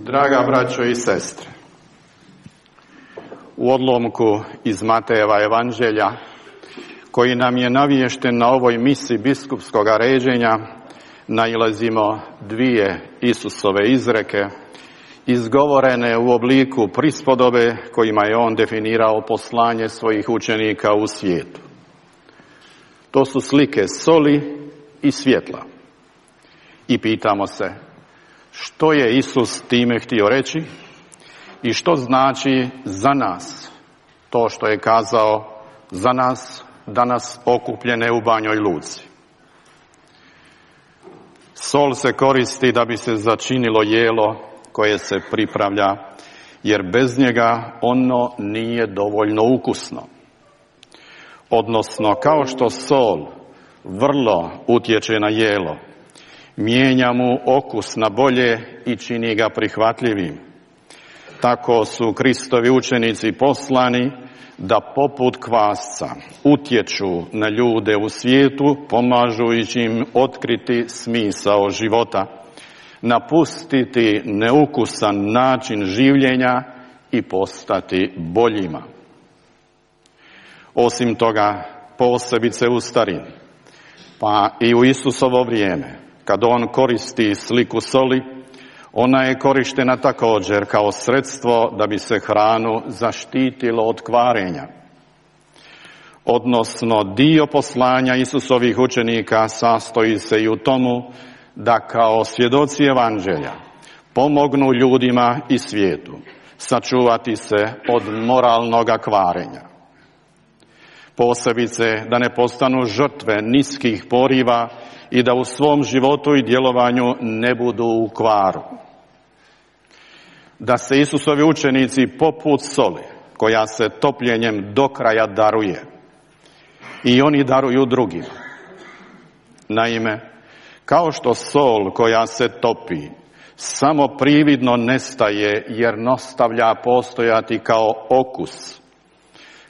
Draga braćo i sestre, u odlomku iz Matejeva evanđelja, koji nam je naviješten na ovoj misi biskupskog ređenja, nailazimo dvije Isusove izreke, izgovorene u obliku prispodobe kojima je on definirao poslanje svojih učenika u svijetu. To su slike soli i svjetla. I pitamo se, što je Isus time htio reći i što znači za nas to što je kazao za nas danas okupljene u Banjoj Luci. Sol se koristi da bi se začinilo jelo koje se pripravlja, jer bez njega ono nije dovoljno ukusno. Odnosno, kao što sol vrlo utječe na jelo, mijenja mu okus na bolje i čini ga prihvatljivim, tako su Kristovi učenici poslani da poput kvasca utječu na ljude u svijetu, pomažući im otkriti smisao života, napustiti neukusan način življenja i postati boljima. Osim toga, posebice u starini, pa i u Isusovo vrijeme, kad on koristi sliku soli, ona je korištena također kao sredstvo da bi se hranu zaštitilo od kvarenja. Odnosno, dio poslanja Isusovih učenika sastoji se i u tomu da kao svjedoci evanđelja pomognu ljudima i svijetu sačuvati se od moralnoga kvarenja. Posebice da ne postanu žrtve niskih poriva i da u svom životu i djelovanju ne budu u kvaru. Da se Isusovi učenici poput soli, koja se topljenjem do kraja daruje, i oni daruju drugima. Naime, kao što sol koja se topi samo prividno nestaje jer nastavlja postojati kao okus,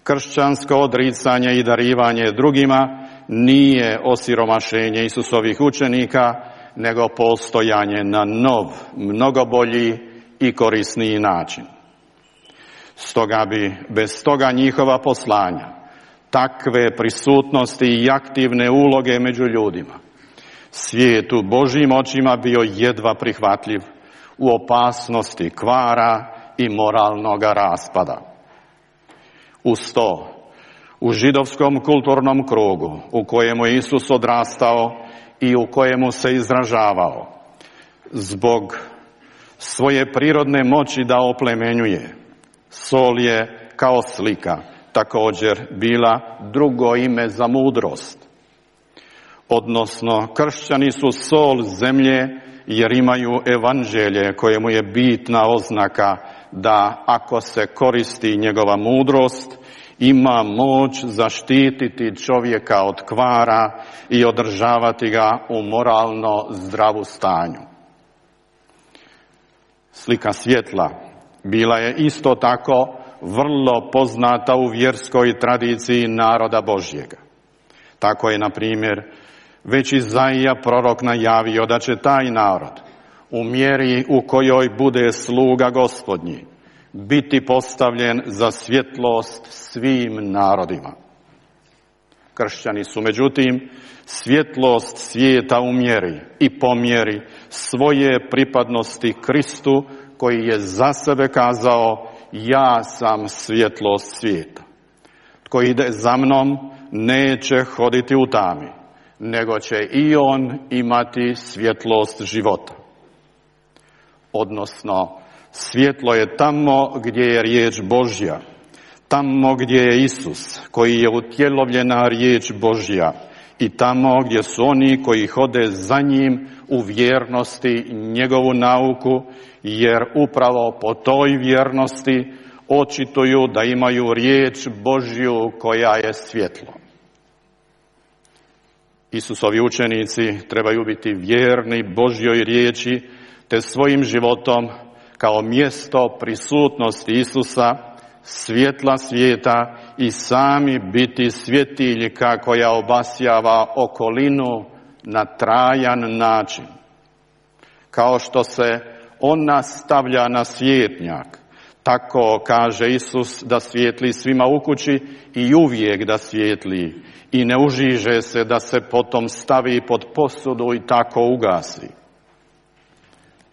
kršćansko odricanje i darivanje drugima nije osiromašenje Isusovih učenika, nego postojanje na nov, mnogo bolji i korisniji način. Stoga bi bez toga njihova poslanja, takve prisutnosti i aktivne uloge među ljudima, svijetu Božjim očima bio jedva prihvatljiv, u opasnosti kvara i moralnoga raspada. Uz to, u židovskom kulturnom krugu u kojemu je Isus odrastao i u kojemu se izražavao, zbog svoje prirodne moći da oplemenjuje, sol je kao slika također bila drugo ime za mudrost. Odnosno, kršćani su sol zemlje jer imaju evanđelje kojemu je bitna oznaka da ako se koristi njegova mudrost, ima moć zaštititi čovjeka od kvara i održavati ga u moralno zdravu stanju. Slika svjetla bila je isto tako vrlo poznata u vjerskoj tradiciji naroda Božjega. Tako je, na primjer, već Izaija prorok najavio da će taj narod, u mjeri u kojoj bude sluga Gospodnji, biti postavljen za svjetlost svim narodima. Kršćani su, međutim, svjetlost svijeta u mjeri i po mjeri svoje pripadnosti Kristu, koji je za sebe kazao: ja sam svjetlost svijeta. Tko ide za mnom neće hoditi u tami, nego će i on imati svjetlost života. Odnosno, svjetlo je tamo gdje je riječ Božja, tamo gdje je Isus, koji je utjelovljena riječ Božja, i tamo gdje su oni koji hode za njim u vjernosti njegovu nauku, jer upravo po toj vjernosti očituju da imaju riječ Božju koja je svjetlo. Isusovi učenici trebaju biti vjerni Božjoj riječi, te svojim životom kao mjesto prisutnosti Isusa, svjetla svijeta, i sami biti svjetiljka koja obasjava okolinu na trajan način. Kao što se On nas stavlja na svijetnjak. Tako kaže Isus da svijetli svima u kući i uvijek da svijetli i ne užiže se da se potom stavi pod posudu i tako ugasi.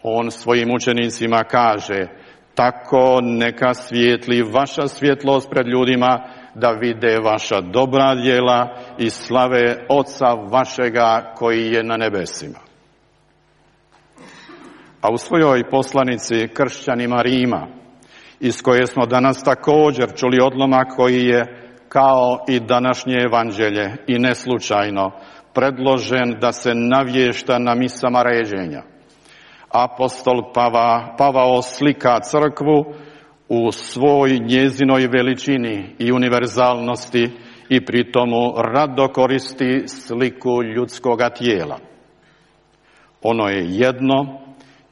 On svojim učenicima kaže: tako neka svijetli vaša svjetlost pred ljudima, da vide vaša dobra djela i slave Oca vašega koji je na nebesima. A u svojoj poslanici kršćanima Rima, iz koje smo danas također čuli odlomak koji je, kao i današnje evanđelje i neslučajno, predložen da se navješta na misama ređenja, apostol Pavao slika crkvu u svoj njezinoj veličini i univerzalnosti i pri tomu rado koristi sliku ljudskoga tijela. Ono je jedno,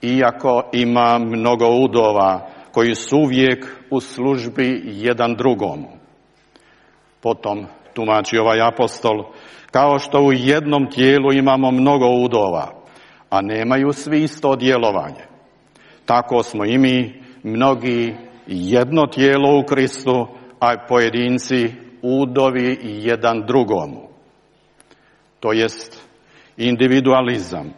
iako ima mnogo udova koji su uvijek u službi jedan drugomu. Potom tumači ovaj apostol: kao što u jednom tijelu imamo mnogo udova, a nemaju svi isto djelovanje, tako smo i mi mnogi jedno tijelo u Kristu, a pojedinci udovi jedan drugomu. To jest individualizam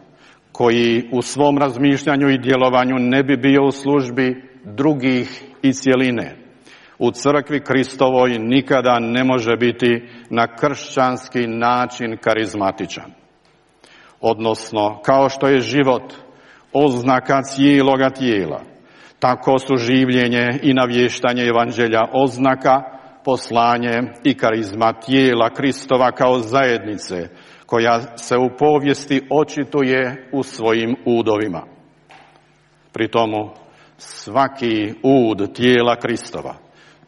koji u svom razmišljanju i djelovanju ne bi bio u službi drugih i cjeline. U crkvi Kristovoj nikada ne može biti na kršćanski način karizmatičan. Odnosno, kao što je život oznaka cijeloga tijela, tako su življenje i navještanje evanđelja oznaka, poslanje i karizma tijela Kristova kao zajednice, koja se u povijesti očituje u svojim udovima. Pri tomu svaki ud tijela Kristova,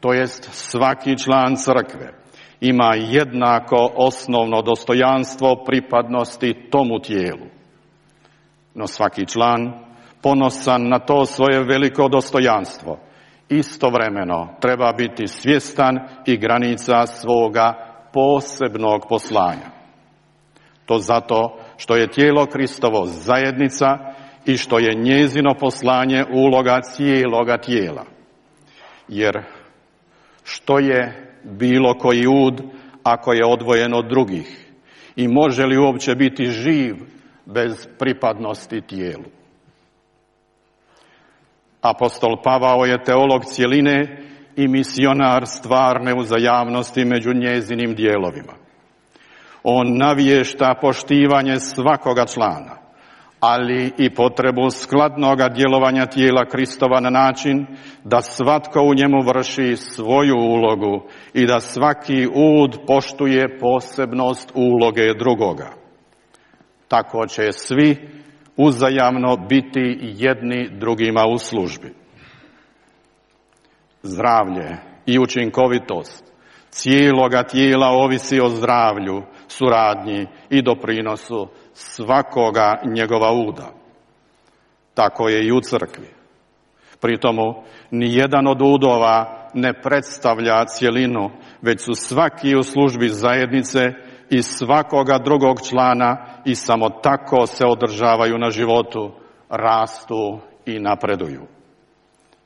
to jest svaki član crkve, ima jednako osnovno dostojanstvo pripadnosti tomu tijelu. No svaki član, ponosan na to svoje veliko dostojanstvo, istovremeno treba biti svjestan i granica svoga posebnog poslanja. To zato što je tijelo Kristovo zajednica i što je njezino poslanje uloga cijeloga tijela. Jer što je bilo koji ud ako je odvojen od drugih i može li uopće biti živ bez pripadnosti tijelu? Apostol Pavao je teolog cjeline i misionar stvarne uzajamnosti među njezinim dijelovima. On navješta poštivanje svakoga člana, ali i potrebu skladnoga djelovanja tijela Kristova na način da svatko u njemu vrši svoju ulogu i da svaki ud poštuje posebnost uloge drugoga. Tako će svi uzajamno biti jedni drugima u službi. Zdravlje i učinkovitost cijeloga tijela ovisi o zdravlju, suradnji i doprinosu svakoga njegova uda. Tako je i u crkvi. Pri tomu nijedan od udova ne predstavlja cjelinu, već su svaki u službi zajednice i svakoga drugog člana i samo tako se održavaju na životu, rastu i napreduju.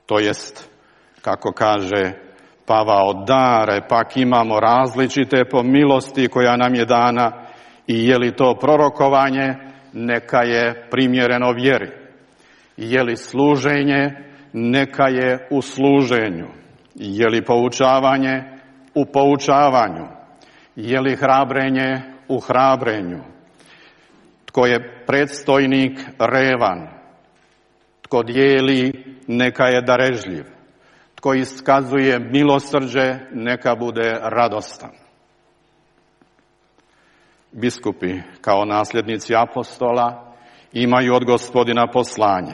To jest, kako kaže Pavao, dare pak imamo različite po milosti koja nam je dana i je li to prorokovanje, neka je primjereno vjeri. Je li služenje, neka je u služenju. Je li poučavanje, u poučavanju. Je li hrabrenje, u hrabrenju. Tko je predstojnik, revan. Tko dijeli, neka je darežljiv. Tko iskazuje milosrđe, neka bude radostan. Biskupi, kao nasljednici apostola, imaju od Gospodina poslanje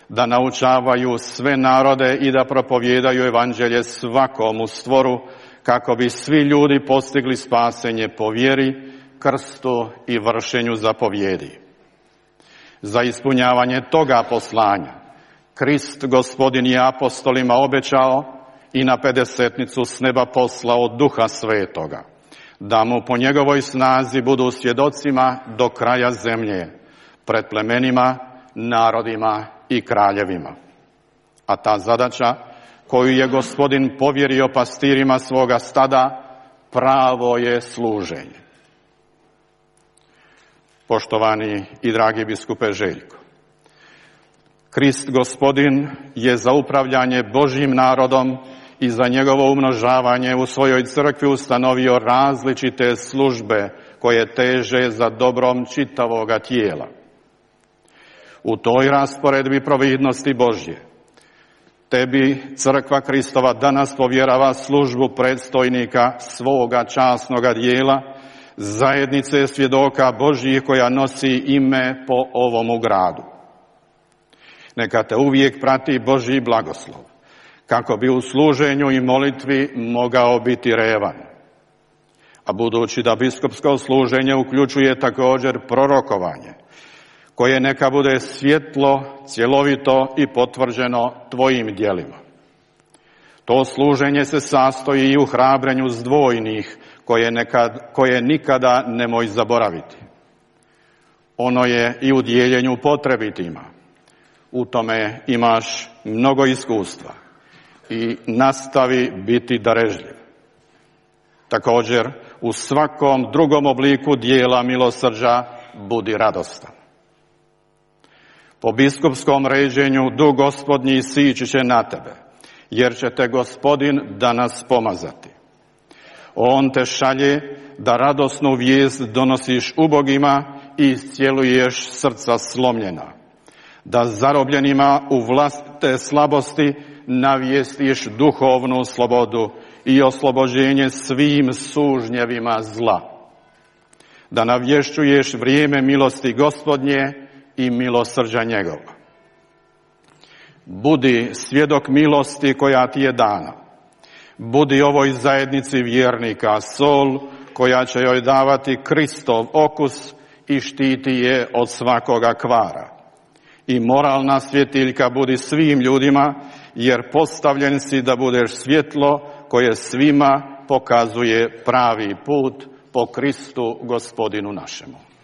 da naučavaju sve narode i da propovijedaju evanđelje svakomu stvoru, kako bi svi ljudi postigli spasenje po vjeri, krstu i vršenju zapovjedi. Za ispunjavanje toga poslanja Krist Gospodin je apostolima obećao i na pedesetnicu s neba poslao Duha Svetoga, da mu po njegovoj snazi budu svjedocima do kraja zemlje, pred plemenima, narodima i kraljevima. A ta zadaća koju je Gospodin povjerio pastirima svoga stada pravo je služenje. Poštovani i dragi biskupe Željko, Krist Gospodin je za upravljanje Božjim narodom i za njegovo umnožavanje u svojoj crkvi ustanovio različite službe koje teže za dobrom čitavoga tijela. U toj rasporedbi providnosti Božje tebi crkva Kristova danas povjerava službu predstojnika svoga časnoga dijela, zajednice svjedoka Božjih koja nosi ime po ovomu gradu. Neka te uvijek prati Božji blagoslov, kako bi u služenju i molitvi mogao biti revan. A budući da biskupsko služenje uključuje također prorokovanje, koje neka bude svjetlo, cjelovito i potvrđeno tvojim djelima. To služenje se sastoji i u hrabrenju zdvojnih, koje nikada nemoj zaboraviti. Ono je i u dijeljenju potrebitima. U tome imaš mnogo iskustva i nastavi biti darežljiv. Također, u svakom drugom obliku dijela milosrđa budi radostan. Po biskupskom ređenju duh Gospodnji sići će na tebe, jer će te Gospodin danas pomazati. On te šalje da radosnu vijest donosiš ubogima i iscijeluješ srca slomljena, da zarobljenima u vlastite slabosti navijestiš duhovnu slobodu i oslobođenje svim sužnjevima zla, da navješćuješ vrijeme milosti Gospodnje i milosrđa njegova. Budi svjedok milosti koja ti je dana. Budi ovoj zajednici vjernika sol koja će joj davati Kristov okus i štiti je od svakoga kvara. I moralna svjetiljka budi svim ljudima, jer postavljen si da budeš svjetlo koje svima pokazuje pravi put po Kristu Gospodinu našemu.